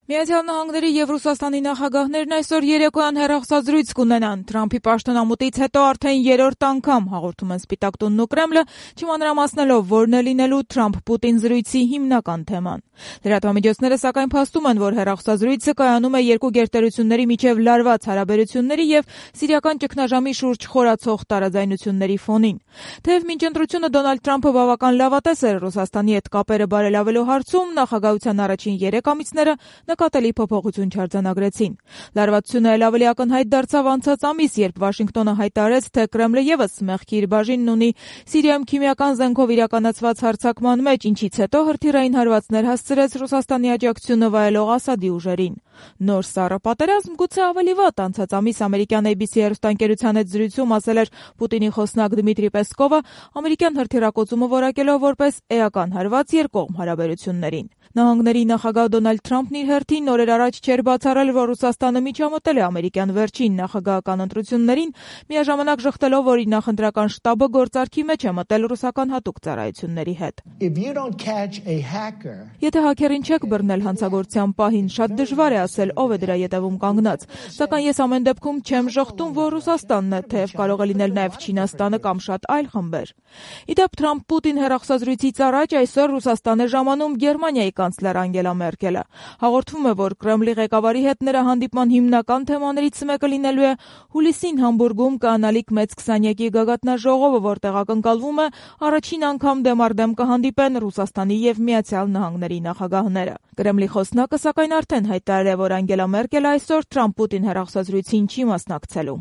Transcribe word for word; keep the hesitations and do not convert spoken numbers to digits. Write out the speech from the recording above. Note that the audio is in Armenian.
Միացյալ Նահանգների եւ Ռուսաստանի նախագահներն այսօր երեկոյան հեռախոսազրույց կունենան։ Թրամփի պաշտոնամուտից հետո արդեն երրորդ անգամ հաղորդում են Սպիտակ տունն ու Կրեմլը, չմանրամասնելով որն է լինելու Թրամփ-Պուտին զրույցի հիմնական թեման։ Լրատվամիջոցները սակայն փաստում են, որ հեռախոսազրույցը կայանում է երկու գերտերությունների միջև լարված հարաբերությունների եւ սիրիական ճգնաժամի շուրջ խորացող տարաձայնությունների ֆոնին։ Թեև մինչ ընտրությունը Դոնալդ Թրամփը բավական լավատես էր Ռուսաստանի հետ կապերը բարելավելու հարցում, նախագահության առաջին երեք ամիսները նկատելի փոփոխություն չարձանագրեցին։ Լարվածությունը էլ ավելի ակնհայտ դարձավ անցած ամիս, երբ Վաշինգտոնը հայտարարեց, թե Կրեմլը եւս մեղքի իր բաժինն ունի Սիրիայում քիմիական զենքով իրականացված հարձակման մեջ, ինչից հետո հրթիռային հարվածներ հասցրեց Ռուսաստանի աջակցությունը վայելող Ասադի ուժերին։ Նոր սառը պատերազմ գուցե ավելի վատ։ Անցած ամիս ամերիկյան A B C հեռուստաընկերության հետ զրույցում ասել էր Պուտինի խոսնակ Դմիտրի Պեսկովը, ամերիկյան հրթիռակոծումը որակելով որպես էական հարված երկկողմ հարաբերություններին։ Նահանգների նախագահ Դոնալդ Թրամփն իր հերթին օրեր առաջ չէր բացառել, որ Ռուսաստանը միջամտել է ամերիկյան վերջին նախագահական ընտրություններին, միաժամանակ ժխտելով, որ իր նախընտրական շտաբը գործարքի մեջ է մտել ռուսական հատուկ ծառայությունների հետ։ Եթե հաքերին չեք բռնել հանցագործության պահին, շատ դժվար է ասել ով է դրա ետևում կանգնած, սակայն ես ամեն դեպքում չեմ ժխտում, որ Ռուսաստանն է, թեև կարող է լինել նաև Չինաստանը կամ շատ այլ խմբեր։ Իդեպ Թրամփ-Պուտին հեռախոսազրույցից առաջ այսօր Ռուսաստան է ժամանում Գերմանիայի կանցլեր Անգելա Մերկելը։ Հաղորդվում է, որ Կրեմլի ղեկավարի հետ նրա հանդիպման հիմնական թեմաներից մեկը լինելու է հուլիսին Համբուրգում կանալիք մեծ քսանյակի գագաթնաժողովը, որտեղ ակնկալվում է առաջին անգամ դեմ առ դեմ կհանդիպեն Ռուսաստանի եւ Միացյալ Նահանգների նախագահները։ Կրեմլի խոսնակը սակայն արդեն հայտարարել է, որ Անգելա Մերկելը այսօր Թրամփ-Պուտին հեռախոսազրույցին չի մասնակցելու։